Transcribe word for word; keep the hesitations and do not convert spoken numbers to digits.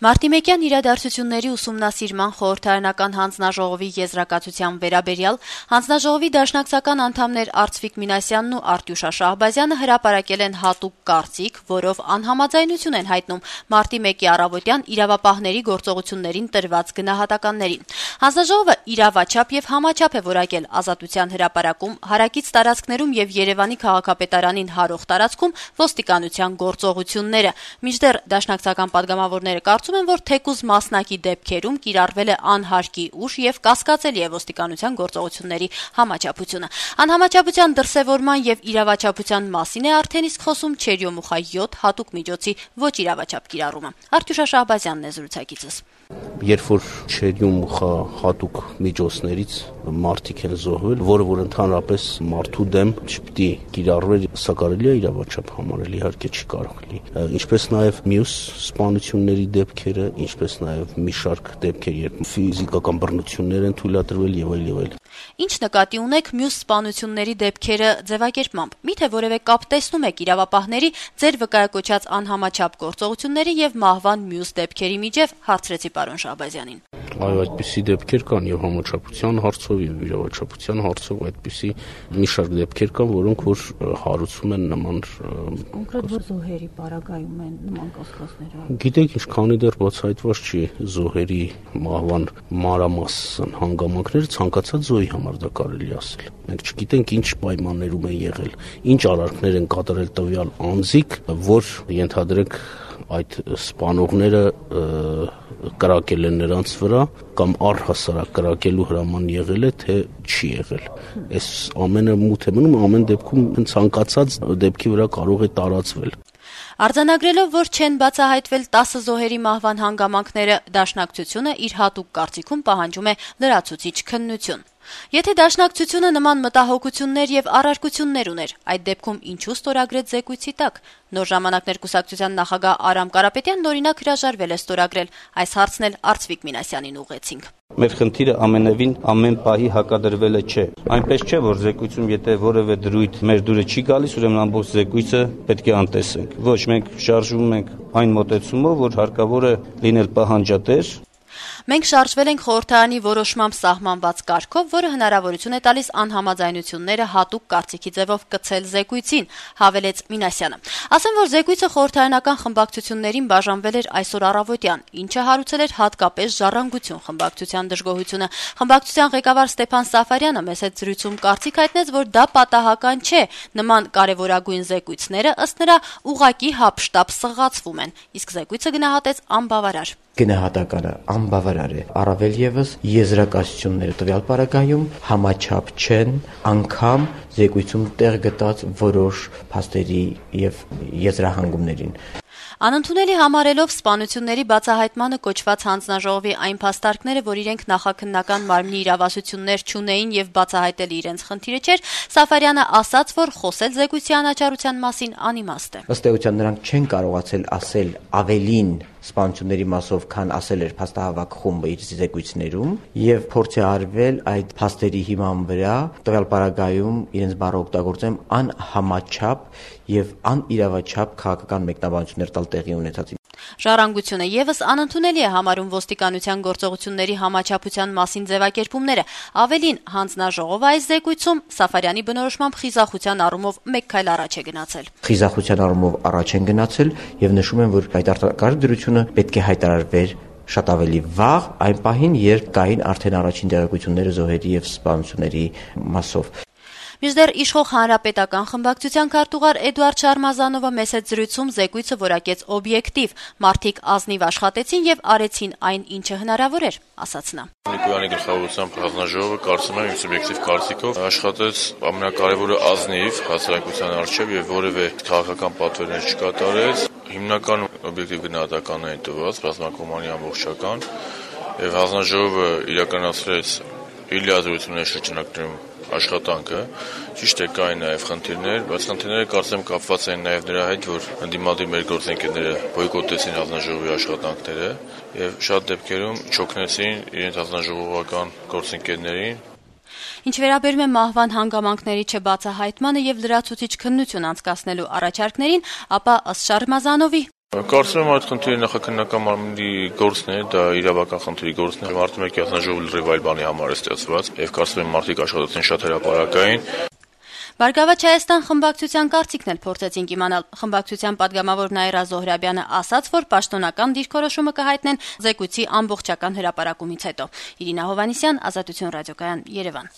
Մարտիմեկյան իրադարձությունների ուսումնասիրման խորհրդարանական հանձնաժողովի եզրակացության վերաբերյալ հանձնաժողովի դաշնակցական անդամներ Արծվիկ Մինասյանն ու Արտյուշ Շահբազյանը հրապարակել են հատուկ կարծիք, որով անհամաձայնություն են հայտնում մարտի մեկի առավոտյան իրավապահների գործողություններին տրված գնահատականներին։ Հանձնաժողովը իրավաչափ եւ համաչափ է որակել Ազատության հրապարակում, հարակից տարածքներում եւ Երևանի քաղաքապետարանին հարող տարածքում ոստիկանության գործողությունները։ Մինչդեռ դաշնակցական պատգամավորները կարծում են, որ թեկուզ մասնակի դեպքերում կիրառվել է անհարկի ուժ եւ կասկածելի է ոստիկանության գործողությունների համաչափությունը։ Անհամաչափության դրսեւորման եւ իրավաչափության մասին է արդեն իսկ խոսում Չերյոմուխա յոթ հատուկ միջոցի ոչ իրավաչափ կիրառումը։ Արտյուշ Շահբազյանն է զրուցակիցս։ Երբ որ Չերյոմուխա հատուկ միջոցներից մարդիկ են զոհվել, որը որ ընդհանրապես մարդու դեմ չպիտի կիրառվեր, սա կարելի է իրավաչափ համարել, իհարկե չի կարող լինի։ Ինչպես նաեւ մյուս սպանությունների դեպքերը, ինչպես նաեւ մի շարք դեպքեր, երբ ֆիզիկական բռնություններ են թույլատրվել եւ այլ եւ այլ։ Ինչ նկատի ունեք մյուս սպանությունների դեպքերը ձևակերպմամբ։ Միթե որևէ կապ տեսնում եք իրավապահների ձեր վկայակոչած անհամաչափ գործողությունների եւ մահվան մյուս դեպքերի միջև, հարցրեցի պարոն Շահբազյանին։ Այո, այդպիսի դեպքեր կան եւ համաչափության հարցով եւ իրավաչափության հարցով այդպիսի մի շարք դեպքեր կան, որոնք որ հարուցում են նման կոնկրետ որ զոհերի պարագայում են նման կասկածները։ Գիտեք ինչ, քանի դեռ բացահայտված չի զոհերի մահվան մանրամասն հանգամանքները, ցանկացած զոհի համար դա կարելի ասել։ Մենք չգիտենք ինչ պայմաններում են եղել, ինչ արարքներ են կատարել տվյալ անձիկ, որ ենթադրենք այդ սպանողները կրակել են նրանց վրա կամ առհասարակ կրակելու հրաման եղել է, թե չի եղել։ Այս ամենը մութ է մնում, ամեն դեպքում ցանկացած դեպքի վրա կարող է տարածվել։ Արձանագրելով, որ չեն բացահայտվել տասը զոհերի մահվան հանգամանքները, դաշնակցությունը իր հատուկ կարծիքում պահանջում է լրացուցիչ քննություն։ Եթե դաշնակցությունը նման մտահոգություններ եւ առարկություններ ուներ, այդ դեպքում ինչու ստորագրեց զեկույցի տակ։ Նոր ժամանակներ կուսակցության նախագահ Արամ Կարապետյանն օրինակ հրաժարվել է ստորագրել։ Այս հարցն էլ Արծվիկ Մինասյանին ուղղեցինք։ Մեր խնդիրը ամենևին ամեն պահի հակադրվելը չէ։ Այնպես չէ, որ զեկույցում եթե որևէ դրույթ մեր դուրը չի գալիս, ուրեմն ամբողջ զեկույցը պետք է անտեսենք։ Ոչ, մենք շարժվում ենք այն մոտեցումով, որ հարկավոր է լինել պահանջատեր։ Մենք շարժվել ենք խորհրդարանի որոշմամբ սահմանված կարգով, որը հնարավորություն է տալիս անհամաձայնությունները հատուկ կարծիքի ձևով կցել զեկույցին, հավելեց Մինասյանը։ Ասեմ, որ զեկույցը խորհրդարանական խմբակցություններին բաժանվել էր այսօր առավոտյան, ինչը հարուցել էր հատկապես Ժառանգություն խմբակցության դժգոհությունը։ Խմբակցության ղեկավար Ստեփան Սաֆարյանը մեծ հետ զրույցում կարծիք հայտնեց, որ դա պատահական չէ, նման կարևորագույն զեկույցները ըստ նրա ուղղակի հապշտապ սղացվում են, իսկ զեկույցը գնահատեց անբավարար։ Գնահատականը անբավարար է, առավել եւս եզրակացությունները տվյալ պարագայում համաչափ չեն, անգամ զեկույցում տեղ գտած որոշ փաստերի եւ եզրահանգումներին։ Անընդունելի համարելով սպանությունների բացահայտմանը կոչված հանձնաժողովի այն փաստարկները, որ իրենք նախաքննական մարմնի իրավասություններ չունեին եւ բացահայտել իրենց խնդիրը չէր, Սաֆարյանը ասաց, որ խոսել զեկույցի անաչառության մասին անիմաստ է։ Ըստ էության նրանք չեն կարողացել ասել ավելին սպանությունների մասով, քան ասել էր փաստահավաք խումբը իր զեկույցներում, եւ փորձ է արվել այդ փաստերի հիման վրա տվյալ պարագայում իրենց բառը օգտագործեմ անհամաչափ եւ անիրավաչափ քաղաքական մեկնաբանություններ տալ տեղի ունեցածին։ Ժառանգությունը եւս անընդունելի է համարում ոստիկանության գործողությունների համաչափության մասին ձևակերպումները։ Ավելին, հանձնաժողովը այս զեկույցում Սաֆարյանի բնորոշմամբ խիզախության առումով մեկ քայլ առաջ է գնացել։ Խիզախության առումով առաջ են գնացել եւ նշում են, որ այդ արտակարգ դրությունը պետք է հայտարարվեր շատ ավելի վաղ, այն պահին, երբ կային արդեն առաջին տեղեկությունները զոհերի եւ սպանությունների մասով։ Մինչդեռ իշխող հանրապետական խմբակցության քարտուղար Էդուարդ Շարմազանովը մեծ հետ զրույցում զեկույցը որակեց օբյեկտիվ, մարդիկ ազնիվ աշխատեցին եւ արեցին այն, ինչը հնարավոր էր, ասաց նա։ Նիկոյանի գլխավորությամբ հանձնաժողովը կարծում եմ իմ սուբյեկտիվ կարծիքով աշխատեց ամենակարևորը ազնիվ հասարակության առջև եւ որևէ քաղաքական պատվերներ չկատարեց։ Հիմնական օբյեկտիվ գնահատականներ են տված, ռազմակոմանի ամբողջական եւ հանձնաժողովը իրականացրեց իր լիազորությունների շրջանակներում աշխատանքը, ճիշտ է կային նաև խնդիրներ, բայց խնդիրները կարծեմ կապված են նաև նրա հետ, որ ընդդիմադիր մեր գործընկերները բոյկոտեցին հանձնաժողովի աշխատանքները եւ շատ դեպքերում չօգնեցին իրենց հանձնաժողովական գործընկերներին։ Ինչ վերաբերում է մահվան հանգամանքների չբացահայտմանը եւ լրացուցիչ քննություն անցկացնելու առաջարկներին, ապա ըստ Շարմազանովի Կարծում եմ այդ խնդիրը նախաքննական մարմնի գործն է, դա իրավական խնդրի գործն է։ Մարտի մեկի հանձնաժողովը լրիվ այլ բանի համար է ստեղծված, եւ կարծում եմ մարդիկ աշխատած են շատ հրապարակային։ Բարգավաճ Հայաստան խմբակցության կարծիքն էլ փորձեցինք իմանալ։ Խմբակցության падգամավոր Նաիրա Զոհրաբյանը ասաց, որ պաշտոնական դիրքորոշումը կհայտնեն զեկույցի ամբողջական հրապարակումից հետո։ Իրինա Հովհաննիսյան, Ազատություն ռադիոկայան, Երևան։